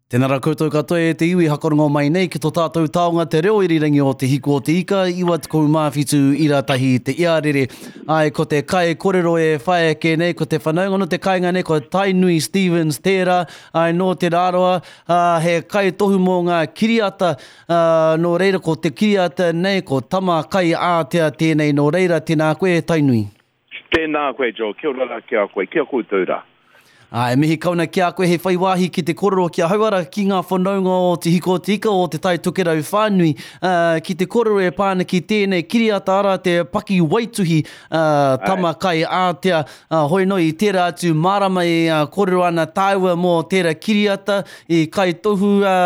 Tēnā rā koutou katoa e te iwi hakarongo mai nei ki to tātou taonga te reo irirangi o Te Hiku o Te Ika, 97 ira tahi te iarere. Ai, ko te kai korero e whai ake nei, ko te whanaunga no te kainga nei, ko Tainui Stevens tērā, ai, nō Te Rarawa, ā, he kaitohu mō ngā kiriata, ā, nō reira ko te kiriata nei, ko Tama Kai Ātea tēnei, nō reira, tēnā koe e Tainui. Tēnā koe Joe, kia ora rā ki a koe, ki a koutou rā. Ā, e mihi kau ana ki a koe hei whai wāhi ki te kōrero ki ahau ara ki ngā whanaunga o Te Hiko o Te Ika o Te Tai Tokerau whānui, ā, ki te kōrero e pā ana ki tēnei kiriata ara te paki waituhi, ā, Tama Kai Ātea, ā, hoi nō i tērā atu marama e kōrero ana tāua mō tērā kiriata i kaitohu, ā,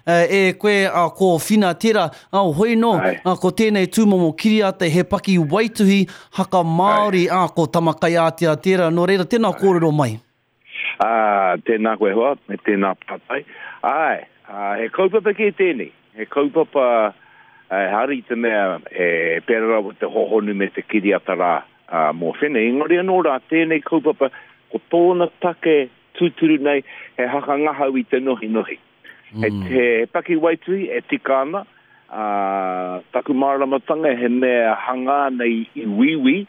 E koe a ko Whina tera, a hoi no, a ko tenei tumomo kiriata he paki waituhi haka Maori, a ko Tamakaiātea tera, no reira tena korero mai. A, tēnā koe hoa, me tēnā pātai. Āe, a, he kaupapa kē tēnei. He kaupapa, ehara i te mea e pērā rawa te hohonu me te kiriata rā mō Whina. Engari anō rā, tēnei kaupapa, ko tōna take tūturu nei, he hakangahau i te nohinohi. He, mm. he paki waituhi e tika ana, ā, taku māramatanga he mea hangā nei i Wīwī,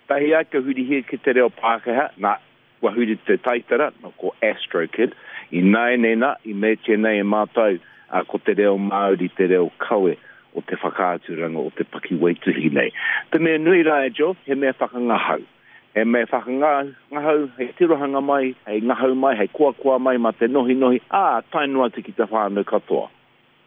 tahi ai ka hurihia ki te reo Pākehā, nā, kua huri te taitara, nā, ko Astro Kid, ināianei nā, i meatia nei e mātou, ā, ko te reo Māori te reo kawe o te whakaaturanga o te paki waituhi nei. Te mea nui rā e Joe, he mea whakangahau. He mea whakangahau, hei tirohanga mai, hei ngahau mai, hei koakoa mai mā te nohinohi, ā, tae noa atu ki te whānau katoa.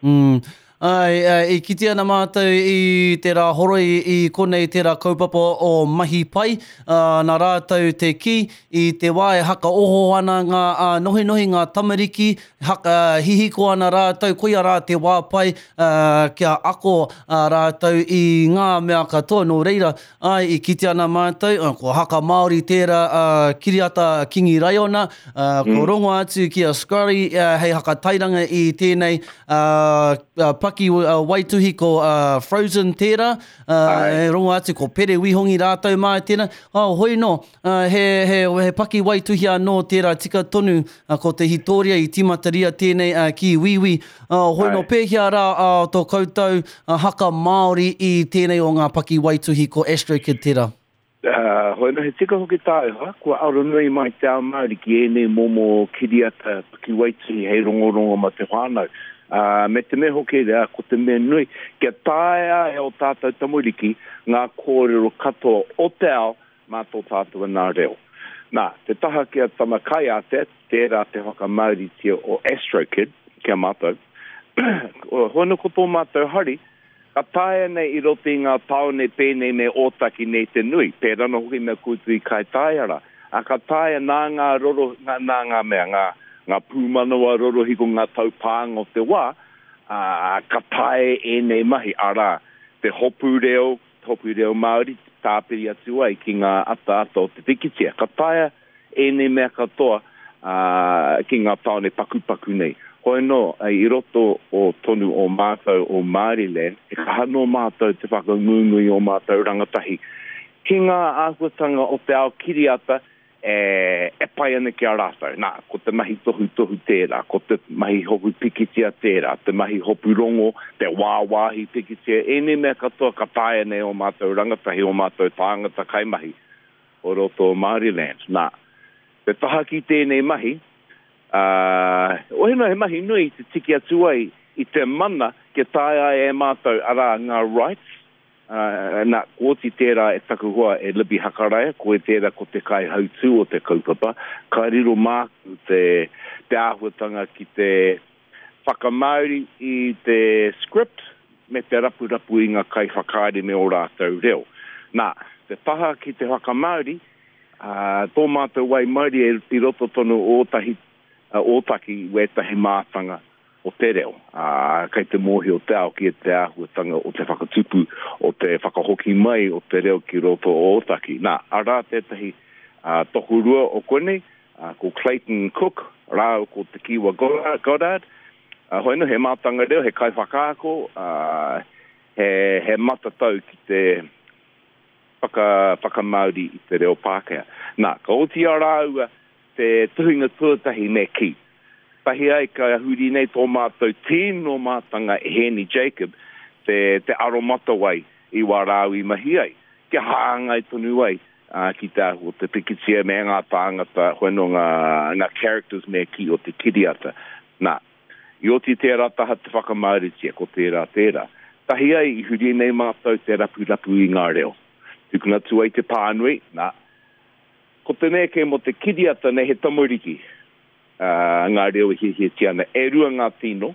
Mm. Āe, i kite ana mātou i te rā horoi i konei tērā kaupapa o Mahi Pai, ā, nā rātou te kī, i te wā e hakaoho ana ngā nohinohi, ngā tamariki, haka, hihiko ana rātou, koia rā te wā pai, ā, kia ako rātou i ngā mea katoa, nō reira, Āe, i kite ana mātou, ko Haka Māori tērā kiriata Kingi Raiona, ko rongo atu ki a Scurry hei hakatairanga i tēnei paki waituhi ko Frozen tērā, e rongo atu ko Pere Wihongi rātou mā tēnā, hoi nō, He, he, he paki waituhi anō tērā tika tonu ko te hitoria i tīmataria tēnei ki Wīwī. Hoi nō pēhea rā tō koutou haka Māori i tēnei o ngā paki waituhi ko Astro Kid tērā? Hoi nō, he tika hoki tāu hoa, kua aronui mai te ao Māori ki ēnei momo kiriata paki waituhi hei rongorongo mā te whānau. Me te mea hoki, ko te mea nui, kia taea e ō tātou tamariki ngā kōrero katoa o te ao mā tō tātou anā reo. Nā, te taha ki a Tama Kaiātea, tērā te whakamāoritia o Astro Kid ki a mātou. Hono ko tō mātou hari, ka taea nei i roto i ngā tāone pēnei me Ōtaki nei te nui, pērā anō hoki me koutou i Kaitaia rā. Ā, ka taea nā ngā roro, nā, nā ngā mea, ngā, ngā pūmanawa rorohiko, ngā taupānga o te wā, ā, ka taea ēnei mahi, arā, te hopu reo, Hopu reo Māori, tāpiri atu ai ki ngā ataata o te pikitia. Ka taea ēnei mea katoa ki ngā tāone pakupaku nei. Hoi anō, i roto o tonu o mātou o Māoriland, he kaha nō mātou te whakangungu i ō mātou rangatahi ki ngā āhuatanga o te ao kiriata e, e pai ana ki a rātou. Nā, ko te mahi tohutohu tērā, ko te mahi hopu pikitia tērā, te mahi hopu rongo, te wāwāhi pikitia, ēnei mea katoa ka taea nei ō mātou rangatahi, ō mātou tāngata kaimahi o roto o Māoriland. Nā, te taha ki tēnei mahi, ā, ohenō he mahi nui te tiki atu ai i te mana kia taea ai e mātou, arā, ngā rights, Ā, nā, kua oti tērā e taku hoa e Libby Hakaraia, koe tērā ko te kaihautū o te kaupapa, ka riro māku te, te āhuatanga ki te whakamāori i te script me te rapurapu i ngā kaiwhakaari me ō rātou reo. Nā, te taha ki te whakamāori, ā, tō mātou waimarie i roto tonu o Ōtahi, Ōtaki wētahi mātanga o te reo, ā, kei te mōhio te ao ki te āhuatanga o te whakatupu, o te whakahoki mai o te reo ki roto o Ōtaki. Nā, arā tētahi tokorua o konei, ko Clayton Cook rāua ko Te Kiwa Goddard, hoi anō, he mātanga reo, he kaiwhakaako, he, he matatau ki te whaka, whakamāori i te reo Pākehā. Nā, ka oti i a rāua te tuhinga tuatahi me kī. Tahi ai ka huri nei tō mātou tino mātanga e Hēni Jacob te, te aromatawai i wā rāu i mahi ai, kia hāngai tonu ai ki te āhua o te pikitia me ngā tāngata, hoi anō ngā, ngā characters me kī o te kiriata. Nā, i oti tērā taha te whakamāoritia, ko tērā tērā. Tahi ai i huri nei mātou te rapurapu i ngā reo. Tukuna atu ai te pānui, nā, ko te mea kē mō te kiriata nei he tamariki, ā, ngā reo e hiahiatia ana. E rua ngā tino,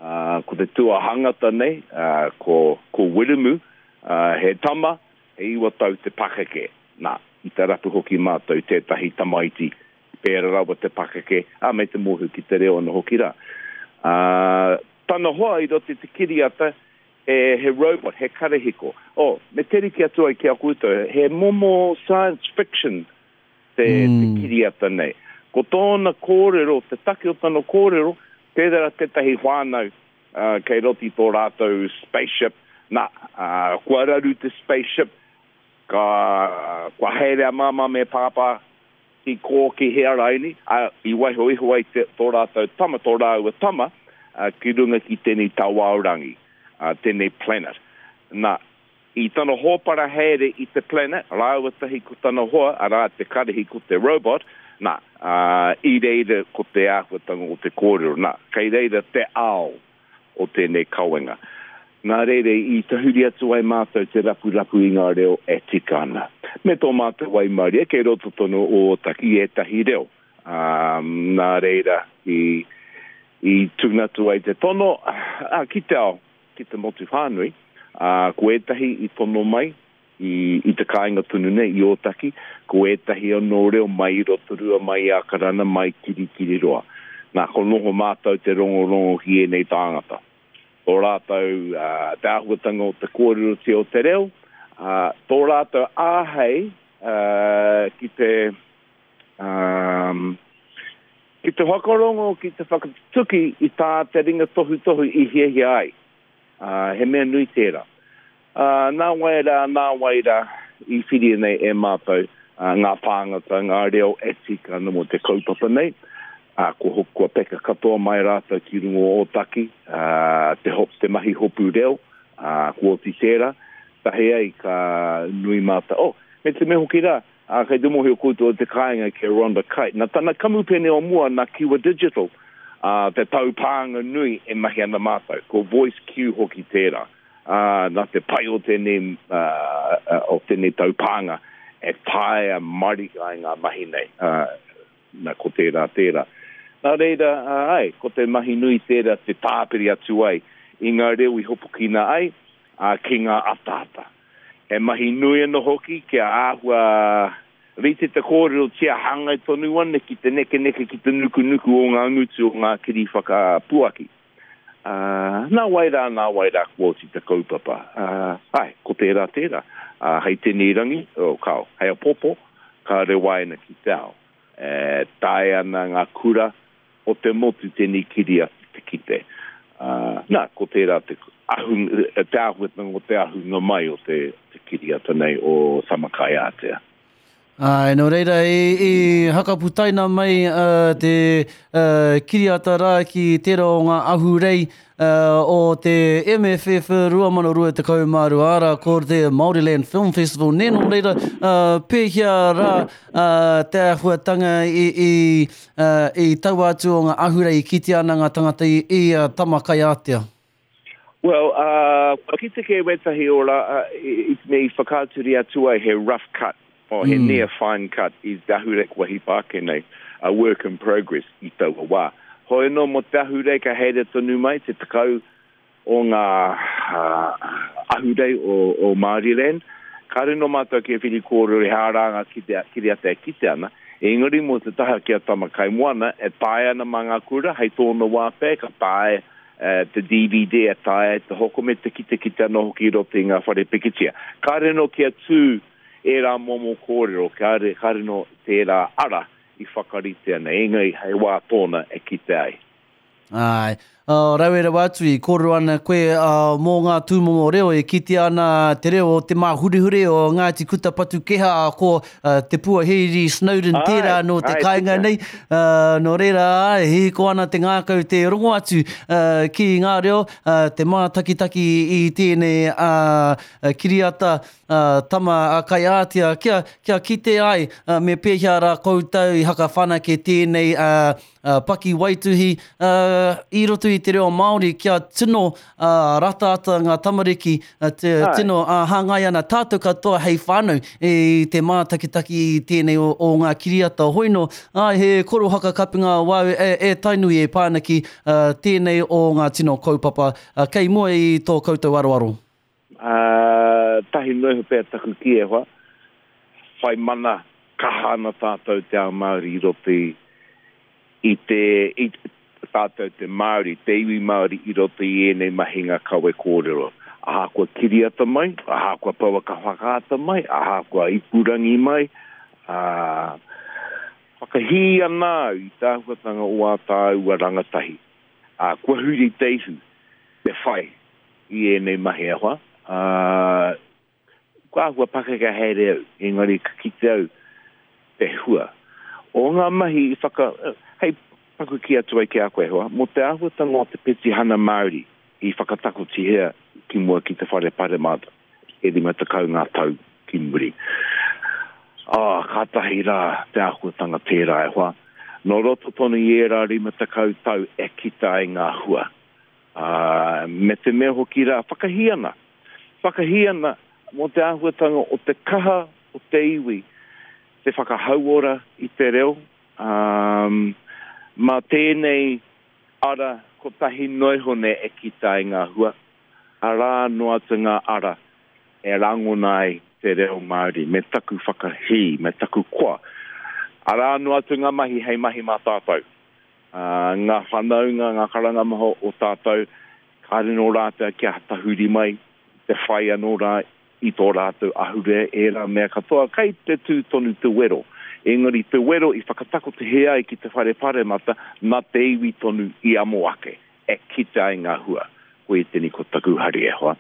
ā, ko te tuahangata nei, ā, ko, ko Wiremu, ā, he tama, he iwa tau te pakeke. Nā, i te rapu hoki mātou tētahi tamaiti pērā rawa te pakeke, ā, me te mōhio ki te reo anō hoki rā. Ā, tana hoa i roto i te kiriata, he, he robot, he karahiko. Oh, me te rite atu ai ki a koutou, he momo science fiction te, mm. te kiriata nei. Ko tōna kōrero, te take o tana kōrero, tērā tētahi whānau uh, kei roto i tō rātou spaceship, nā, uh, kua raru te spaceship, ka, kua haere a māmā me pāpā ki kō ki hea raini, a, i waiho iho ai te, tō rātou tama, tō rāua tama, uh, ki runga ki tēnei tawāorangi, uh, tēnei planet. Nā, I tana hōpara haere i te planet, rāua tahi ko tana hoa, arā, te karihi ko te robot, nā, ā, i reira ko te āhuatanga o te kōrero, nā, kei reira te ao o tēnei kawenga. Nā reira i tahuri atu ai mātou te rapurapu i ngā reo e tika ana. Me tō mātou waimarie kei roto tonu o Ōtaki i ētahi reo, ā, nā reira i, i tukuna atu ai te tono, ā, ki te ao, ki te motu whānui, ā, ko ētahi i tono mai i, i te kāinga tonu nei, i Ōtaki, ko ētahi anō reo mai i Rotorua, mai i Ākarana, mai Kirikiriroa. Nā, ko noho mātou te rongorongo ki ēnei tāngata. Tō rātou, ā, te āhuatanga o te kōrerotia o te reo, ā, tō rātou āhei, ā, ki te, ā, Ki te whakarongo, ki te whakatutuki i tā te ringa tohutohu i hiahia ai. Ā, he mea nui tērā. Ā, nā wai rā, nā wai rā i whiria nei e mātou ngā tāngata, ngā reo e tika ana mō te kaupapa nei. Ā, kua, kua peka katoa mai rātou ki runga o Ōtaki, ā, te, te mahi hopu reo, ā, kua oti tērā. Tahi ai ka nui mātou. Oh, me te mea hoki rā, Ā, kei te mōhio koutou o te kāinga ki a Rhonda Kite. Nā tana kamupene o mua, nā Kiwa Digital, ā, te taupānga nui e mahi ana mātou. Ko Voice Q hoki tērā. Ā, nā te pai o tēnei, ā, o tēnei taupānga e taea marika ai ngā mahi nei. Ā, nā, ko tērā tērā. Nā reira, ā, āe, ko te mahi nui tērā te tāpiri atu ai i ngā reo i hopukina ai, ā, ki ngā ataata. He mahi nui anō hoki kia āhua rite te kōrerotia hāngai tonu ana ki te nekeneke, ki te nukunuku o ngā ngutu o ngā kiri whakapuaki. Ā, nā wai rā, nā wai rā kua oti te kaupapa. Ā, āe, ko tērā tērā. Ā, hei tēnei rangi, oh, kāo, hei apopo, ka rewaina ki te ao. E taea ana ngā kura o te motu tēnei kiriata te kite. Ā, nā, ko tērā te ahu, te āhuatanga o te ahunga mai o te, te kiriata nei o Tamakaiātea. Āe, nō reira, i, i hakaputaina mai uh, te uh, kiriata rā ki tērā o ngā ahurei uh, o te MFF 2022, arā, ko te Māoriland Film Festival. Nē, nō reira, uh, pēhea rā uh, te āhuatanga i, i Ā, i taua atu o ngā ahurei i kitea ana ngā tangata i, i a Tamakaiātea. Well, uh, kua kite kē wētahi o rā, uh, i, i te mea i whakaaturia atu ai he rough cut, oh, he mm. near fine cut i te ahurei kua hipa ake nei, a work in progress i taua wā. Hoi anō mō te ahurei ka haere tonu mai te tekau o ngā ahurei o Māoriland. Kāore nō mātou kia whiri kōrero he aha rā ngā kiriata e kite ana, engari mō te taha ki a Tamakaimoana, e taea ana mā ngā kura, hei tōna wā pea ka taea te DVD, e taea te hoko me te kitekite anō hoki i roto i ngā whare pikitia. Kāore nō kia tū ērā momo kōrero, kāore, kāore nō tērā ara i whakaritea nei, engari hei wā tōna e kite ai. Āe. Rawe rawa atu i kōrero ana koe mō ngā tūmomo reo e kitea ana te reo o Te Māhurehure o Ngāti Kuta Patukeha ko Te Puaheiri Snowden tērā nō te kāinga nei. Nō reira, āe, hihiko ana te ngākau te rongo atu ki ngā reo, te mātakitaki i tēnei kiriata tama a Kaiātea kia, kia kite ai me pēhea rā koutou i hakawhanake tēnei paki waituhi i roto i te reo Māori kia tino rataata ngā tamariki, tino hāngai ana tātou katoa hei whānau i te mātakitaki i tēnei o ngā kiriata hoino. Āe, he korohaka kapinga wāu e Tainui e pā ana ki tēnei o ngā tino kaupapa kei mua i tō koutou aroaro. Ā, tahi noa iho pea taku kī e hoa, whai mana kaha ana tātou te ao Māori i roto i, i te, i, tātou te Māori, te iwi Māori i roto i ēnei mahinga kawe kōrero. Ahakoa kiriata mai, ahakoa pouaka whakaata mai, ahakoa ipurangi mai, ā, whakahī ana au i te āhuatanga o ā tāua rangatahi, ā, kua huri te ihu, te whai i ēnei mahi e hoa, ā, kua āhua pakeke haere au, engari ka kite au te hua o ngā mahi i whaka, hei paku kī atu ai ki a koe e hoa, mō te āhuatanga o te petihana Māori i whakatakotihia ki mua ki te Whare Paremata e 50 ngā tau ki muri. Ā, kātahi rā te āhuatanga tērā e hoa. Nō roto tonu i ērā 50 tau e kita ai ngā hua. Ā, me te mea hoki rā, whakahī ana, whakahī ana mō te āhuatanga o te kaha o te iwi te whakahauora i te reo, ā, mā tēnei ara kotahi noa iho nei e kita ai ngā hua, arā noa atu ngā ara e rangona ai te reo Māori, me taku whakahī, me taku koa. Arā noa atu ngā mahi hei mahi mā tātou. Ngā whanaunga, ngā karanga maha o tātou, kāre nō rātou kia tahuri mai, te whai anō rā i tō rātou ahurea, ērā mea katoa, kei te tū tonu te wero. Engari te wero i whakatakotohia ai ki te whare paremata, nā te iwi tonu i amo ake, e kite ai ngā hua. Koia tēnei ko taku hari e hoa.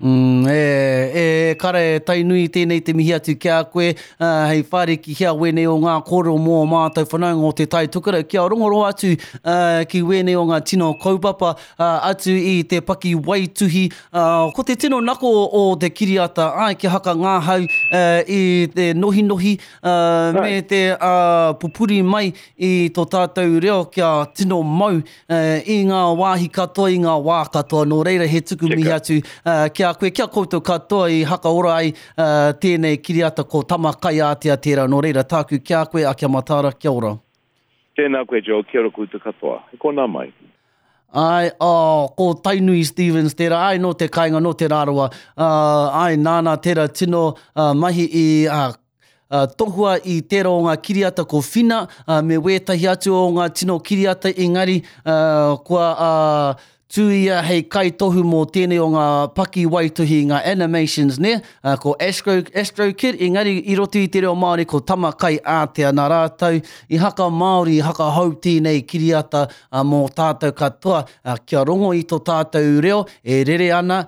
Mm, e, e, kara e Tainui tēnei te mihi atu ki a koe, uh, hei whārikihia wēnei o ngā kōrero mō ō mātou whanaunga o Te Tai Tokerau, kia rongoro atu uh, ki wēnei o ngā tino kaupapa uh, atu i te paki waituhi. Uh, ko te tino nako o te kiriata, ai, kia hakangāhau uh, i te nohinohi uh, me te uh, pupuri mai i tō tātou reo kia tino mau i ngā wāhi katoa, i ngā wā katoa. Nō reira, he tuku mihi atu ki a koe, ki a koutou katoa i hakaora ai tēnei kiriata ko Tama Kaiātea tērā. Nō reira, tāku ki a koe, a kia mataara, kia ora. Tēnā koe Joel, kia ora koutou katoa. He konā mai. Āe, oh, ko Tainui Stevens tērā, āe, nō te kāinga, nō Te Rarawa, āe, nāna tērā tino mahi i Tohua i tērā o ngā kiriata ko Whina me wētahi atu o ngā tino kiriata engari kua tū ia hei kaitohu mō tēnei o ngā paki waituhi, ngā animations nē, ko Astro, Astro Kid engari i roto i te reo Māori ko Tama Kai Ātea nā rātou i haka Māori, i haka hou tēnei kiriata mō tātou katoa kia rongo i tō tātou reo e rere ana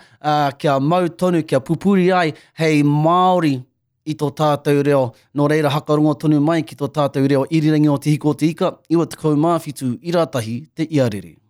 kia mau tonu, kia pupuri ai hei Māori. i tō tātou reo. Nō reira hakarongo tonu mai ki tō tātou reo irirangi o Te Hiko o Te Ika, 97 ira tahi te iarere.